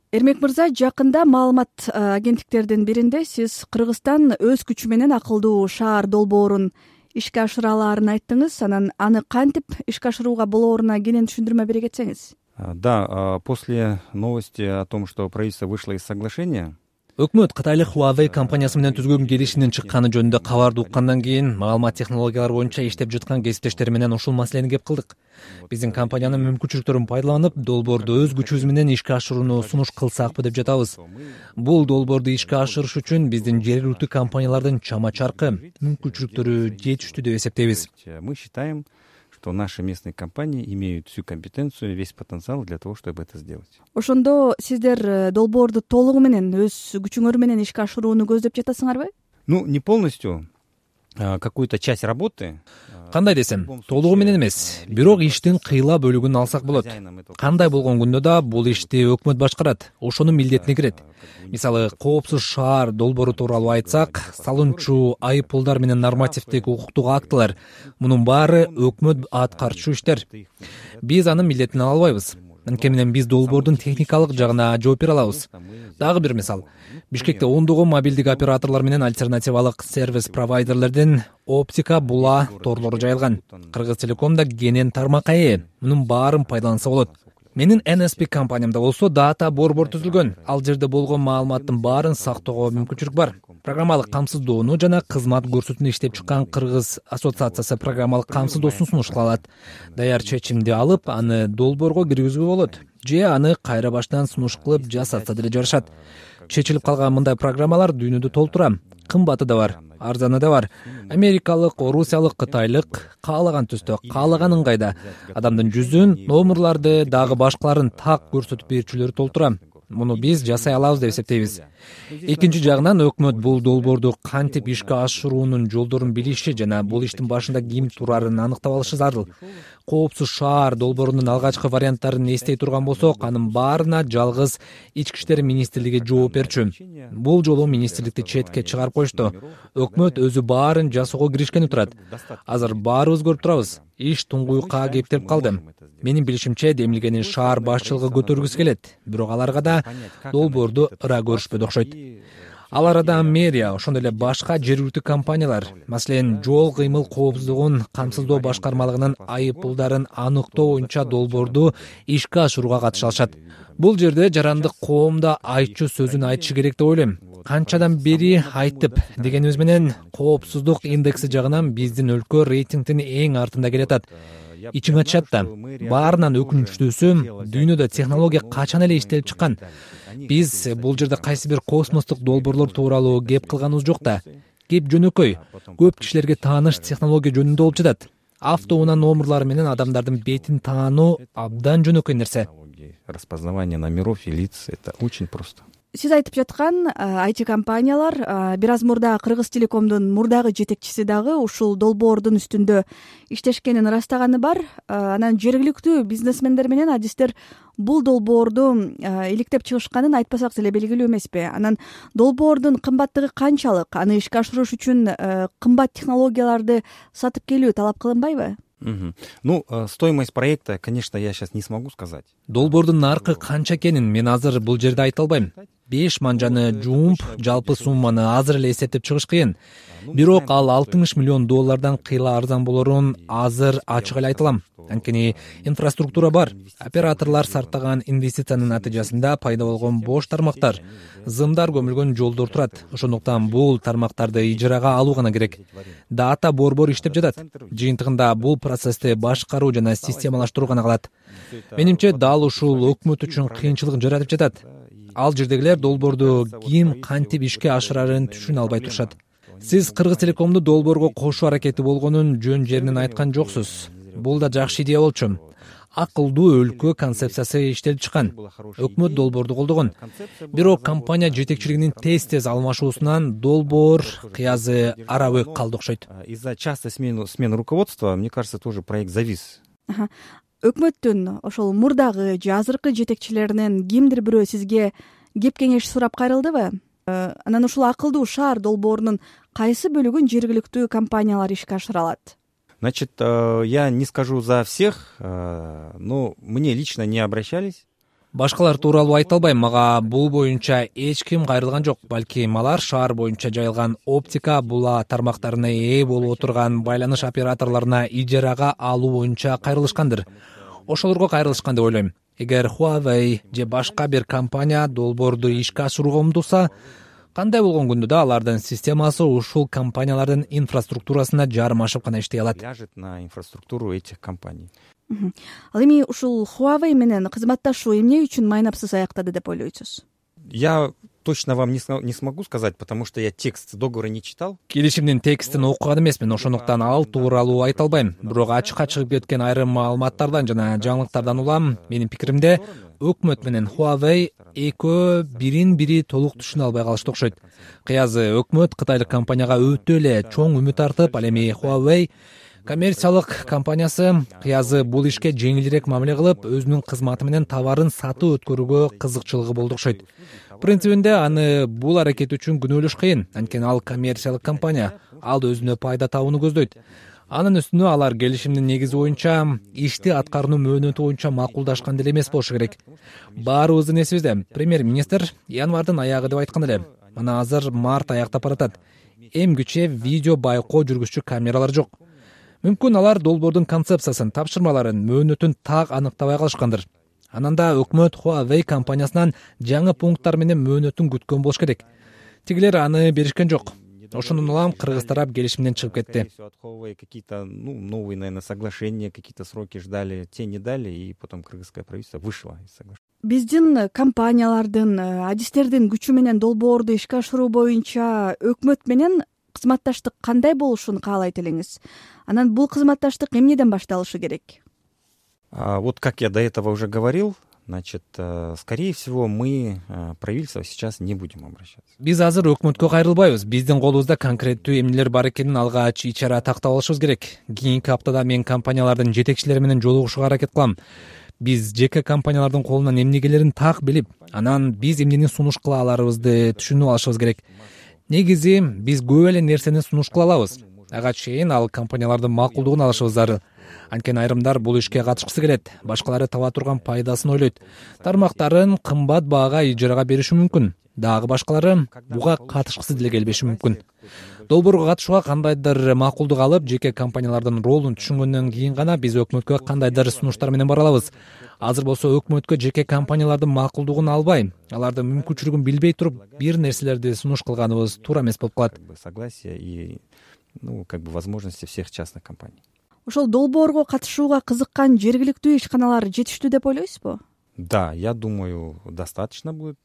Эрмек мырза, жакында маалымат агенттиктердин биринде сиз Кыргызстан өз күчү менен акылдуу шаар долбоорун ишке ашыра алаарын айттыңыз. Анан аны кантип ишке ашырууга болооруна кенен түшүндүрмө бере кетсеңиз. Да, после новости о том, что правительство вышло из соглашения. Өкмөт Кытайлык Huawei компаниясы менен түзгөн келишимдин чыкканы жөнүндө кабарды уккандан кийин маалымат технологиялары боюнча иштеп жаткан кесиптештери менен ушул маселени кеп кылдык. Биздин компаниянын мүмкүнчүлүктөрүн пайдаланып, долбоорду өз күчүбүз менен ишке ашырууну сунуш кылсакпы деп жатабыз. Бул долбоорду ишке ашырыш үчүн биздин жергиликтүү компаниялардын чама-чаркы, мүмкүнчүлүктөрү жетиштүү деп эсептейбиз. Мы считаем, что наши местные компании имеют всю компетенцию, весь потенциал для того, чтобы это сделать. Ошондо сиздер долбоорду толугу менен өз күчүңөр менен ишке ашырууну көздөп жатасыңарбы? Не полностью, какую-то часть работы. Кандай десем, толугу менен эмес, бирок иштин кыйла бөлүгүн алсак болот. Кандай болгон күндө да бул ишти өкмөт башкарат, ошонун милдетине кирет. Мисалы, коопсуз шаар долбоору тууралуу айтсак, салынчу, айыппулдар менен нормативдик укуктук актылар, мунун баары өкмөт аткарчу иштер. Биз анын милдетин ала албайбыз. Анткени менен биз долбоордун техникалык жагына жооп бере алабыз. Дагы бир мисал, Бишкекте ондогон мобилдик операторлор менен альтернативалык сервис провайдерлердин оптика була торлору жайылган. Кыргыз Телекомда кенен тармакка ээ. Мунун баарын пайдаланса болот. Менин NSP компаниямда болсо дата борбор түзүлгөн. Ал жерде болгон маалыматтын баарын сактоого мүмкүнчүлүк бар. Программалык камсыздоону жана кызмат көрсөтүүнү иштеп чыккан Кыргыз ассоциациясы программалык камсыздоосун сунуш кылат. Даяр чечимди алып, аны долбоорго киргизүүгө болот. Же аны кайра баштан сунуш кылып жасатса деле жарышат. Чечилип калган мындай программалар дүйнөдө толтура. Кымбаты да бар, арзаны да бар. Америкалык, орусиялык, кытайлык, каалаган түстө, каалаган ыңгайда адамдын жүзүн, номерларды, дагы башкаларын так көрсөтүп берүүчүлөр толтура. Муну биз жасай алабыз деп эсептейбиз. Экинчи жагынан өкмөт бул долбоорду кантип ишке ашыруунун жолдорун билиши жана бул иштин башында ким турарын аныктап алышы зарыл. Коопсуз шаар долбоорунун алгачкы варианттарын эстей турган болсок, анын баарына жалгыз Ички иштер министрлиги жооп берчү. Бул жолу министрликти четке чыгарып коюшту. Өкмөт өзү баарын жасоого киришкени турат. Азыр баарыбыз көрүп турабыз. Иш туңгуюкка кептелип калды. Менин билишимче, демилгени шаар башчылыгы көтөргүсү келет, бирок аларга да долбоорду ыра көрүшпөдү окшойт. Ал арада мэрия, ошондой эле башка жергиликтүү компаниялар, маселен, жол кыймыл коопсуздугун камсыздоо башкармалыгынын айыппулдарын аныктоо боюнча долбоорду ишке ашырууга катыша алышат. Бул жерде жарандык коом да айтчу сөзүн айтышы керек деп ойлойм. Канчадан бери айтып дегенибиз менен коопсуздук индекси жагынан биздин өлкө рейтингдин эң артында келатат. Ичиң ачат да. Баарынан өкүнүчтүүсү, дүйнөдө технология качан эле иштелип чыккан. Биз бул жерде кайсы бир космостук долбоорлор тууралуу кеп кылганыбыз жок да. Кеп жөнөкөй, көп кишилерге тааныш технология жөнүндө болуп жатат. Автоунаа номерлары менен адамдардын бетин таануу абдан жөнөкөй нерсе. Распознавание номеров и лиц — это очень просто. Сиз айтып жаткан IT компаниялар бир аз мурда Кыргыз Телекомдун мурдагы жетекчиси дагы ушул долбоордун үстүндө иштешкенин ырастаганы бар. Анан жергиликтүү бизнесмендер менен адистер бул долбоорду иликтеп чыгышканын айтпасак деле белгилүү эмеспи? Анан долбоордун кымбаттыгы канчалык? Аны ишке ашырыш үчүн кымбат технологияларды сатып келүү талап кылынбайбы? Стоимость проекта, конечно, я сейчас не смогу сказать. Долбоордун наркы канча экенин мен азыр бул жерде айта албайм. 5 манжаны жумуп, жалпы сумманы азыр эле эсептеп чыгыш кыйын. Бирок ал $60 миллион кыйла арзан болорун азыр ачык эле айта алам. Анткени инфраструктура бар. Операторлор сартаган инвестициянын натыйжасында пайда болгон бош тармактар, зымдар көмүлгөн жолдор турат. Ошондуктан бул тармактарды ижарага алуу гана керек. Дата борбор иштеп жатат. Жыйынтыгында бул процессти башкаруу жана системалаштыруу гана калат. Менимче дал ушул өкмөт үчүн кыйынчылык жаратып жатат. Ал жердегилер долбоорду ким кантип ишке ашырарын түшүнө албай турушат. Сиз Кыргыз Телекомду долбоорго кошуу аракети болгонун жөн жеринен айткан жоксуз. Бул да жакшы идея болчу. Акылдуу өлкө концепциясы иштелип чыккан. Өкмөт долбоорду колдогон. Бирок компания жетекчилигинин тез алмашуусунан долбоор кыязы арабы калды окшойт. Из-за частой смены руководства, мне кажется, тоже проект завис. Өкмөттүн ошол мурдагы же азыркы жетекчилеринен кимдир бирөө сизге кеп кеңеш сурап кайрылдыбы? Анан ушул акылдуу шаар долбоорунун кайсы бөлүгүн жергиликтүү компаниялар ишке ашыра алат? Значит, я не скажу за всех, но мне лично не обращались. Башкалар тууралуу айта албайм, мага бул боюнча эч ким кайрылган жок. Балким алар шаар боюнча жайылган оптика була тармактарына ээ болуп отурган байланыш операторлоруна ижарага алуу боюнча кайрылышкандыр. Ошолорго кайрылышкан деп ойлойм. Эгер Huawei же башка бир компания долбоорду ишке ашырууга умтулса, кандай болгон күндө да алардын системасы ушул компаниялардын инфраструктурасына жарым ашып гана иштей алат. Ляжет на инфраструктуру этих компаний. Ал эми ушул Huawei менен кызматташуу эмне үчүн майнапсыз аяктады деп ойлойсуз? Я точно вам не смогу сказать, потому что я текст договора не читал. Келишимдин текстин окуган эмесмин, ошондуктан ал тууралуу айта албайм. Бирок ачыкка чыгып кеткен айрым маалыматтардан жана жаңылыктардан улам, менин пикиримде, өкмөт менен Huawei экөө бирин бири толук түшүнө албай калышты окшойт. Кыязы өкмөт кытайлык компанияга өтө эле чоң үмүт артып, ал эми Huawei коммерциялык компаниясы кыязы бул ишке жеңилирээк мамиле кылып, өзүнүн кызматы менен товарын сатып өткөрүүгө кызыкчылыгы болду окшойт. Принцибинде аны бул аракет үчүн күнөөлөш кыйын, анткени ал коммерциялык компания, ал өзүнө пайда табууну көздөйт. Анын үстүнө алар келишимдин негизи боюнча ишти аткаруу мөөнөтү боюнча макулдашкан деле эмес болушу керек. Баарыбыздын эсибизде, премьер-министр январдын аягы деп айткан эле. Мына азыр март аяктап баратат. Эмгиче видео байкоо жүргүзчү камералар жок. Мүмкүн алар долбоордун концепциясын, тапшырмаларын, мөөнөтүн так аныктабай калышкандыр. Анан да өкмөт Huawei компаниясынан жаңы пункттар менен мөөнөтүн күткөн болуш керек. Тигилер аны беришкен жок. Ошондон улам кыргыз тарап келишимден чыгып кетти. Какие-то новые, наверное, соглашения, какие-то сроки ждали, те не дали, и потом кыргызское правительство вышло из соглашения. Биздин компаниялардын, адистердин күчү менен долбоорду ишке ашыруу боюнча өкмөт менен кызматташтык кандай болушун каалайт элеңиз? Анан бул кызматташтык эмнеден башталышы керек? Вот как я до этого уже говорил, значит, скорее всего, мы правительство сейчас не будем обращаться. Биз азыр өкмөткө кайрылбайбыз. Биздин колубузда конкреттүү эмнелер бар экенин алгач ичара тактап алышыбыз керек. Кийинки аптада мен компаниялардын жетекчилери менен жолугушууга аракет кылам. Биз жеке компаниялардын колунан эмнегелерин так билип, анан биз эмнени сунуш кыла аларыбызды түшүнүп алышыбыз керек. Негизи биз көп эле нерсени сунуш кыла алабыз. Ага чейин ал компаниялардын макулдугун алышыбыз зарыл. Анткени айрымдар бул ишке катышкысы келет, башкалары таба турган пайдасын ойлойт. Тармактарын кымбат баага ижарага бериши мүмкүн. Дагы башкалары буга катышкысы деле келбеши мүмкүн. Долбоорго катышууга кандайдыр макулдук алып, жеке компаниялардын ролун түшүнгөндөн кийин гана биз өкмөткө кандайдыр сунуштар менен бара алабыз. Азыр болсо өкмөткө жеке компаниялардын макулдугун албай, алардын мүмкүнчүлүгүн билбей туруп, бир нерселерди сунуш кылганыбыз туура эмес болуп калат. Согласие и, возможности всех частных компаний. Ошол долбоорго катышууга кызыккан жергиликтүү ишканалар жетиштүү деп ойлойсузбу? Да, я думаю, достаточно будет.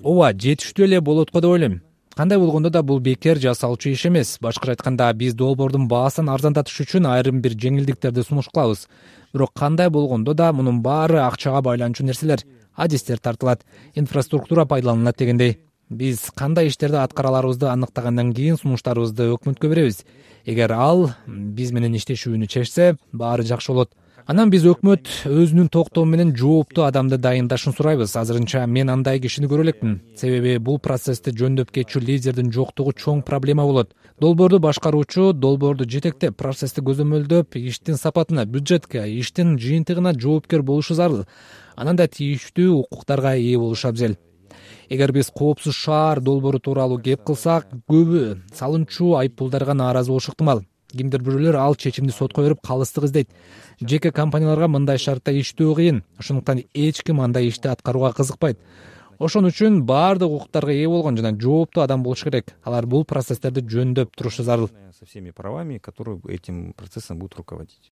Ооба, жетиштүү эле болот го деп ойлойм. Кандай болгондо да бул бекер жасалчу иш эмес. Башкача айтканда, биз долбоордун баасын арзандатыш үчүн айрым бир жеңилдиктерди сунуш кылабыз. Бирок кандай болгондо да мунун баары акчага байланчу нерселер. Адистер тартылат, инфраструктура пайдаланылат дегендей. Биз кандай иштерди аткара аларыбызды аныктагандан кийин сунуштарыбызды өкмөткө беребиз. Эгер ал биз менен иштешүүнү чечсе, баары жакшы болот. Анан биз өкмөт өзүнүн токтому менен жооптуу адамды дайындашын сурайбыз. Азырынча мен андай кишини көрө элекмин. Себеби бул процессти жөндөп кетчү лидердин жоктугу чоң проблема болот. Долбоорду башкаруучу долбоорду жетектеп, процессти көзөмөлдөп, иштин сапатына, бюджетке, иштин жыйынтыгына жоопкер болушу зарыл. Анан да тийиштүү укуктарга ээ болушу абзел. Эгер биз коопсуз шаар долбоору тууралуу кеп кылсак, көбү салымчу айыппулдарга нааразы болушу ыктымал. Кимдир бирөөлөр ал чечимди сотко берип калыстык издейт. Жеке компанияларга мындай шартта иштөө кыйын. Ошондуктан эч ким андай ишти аткарууга кызыкпайт. Ошон үчүн баардык укуктарга ээ болгон жана жооптуу адам болуш керек. Алар бул процесстерди жөндөп турушу зарыл. Со всеми правами, которые этим процессом будут руководить.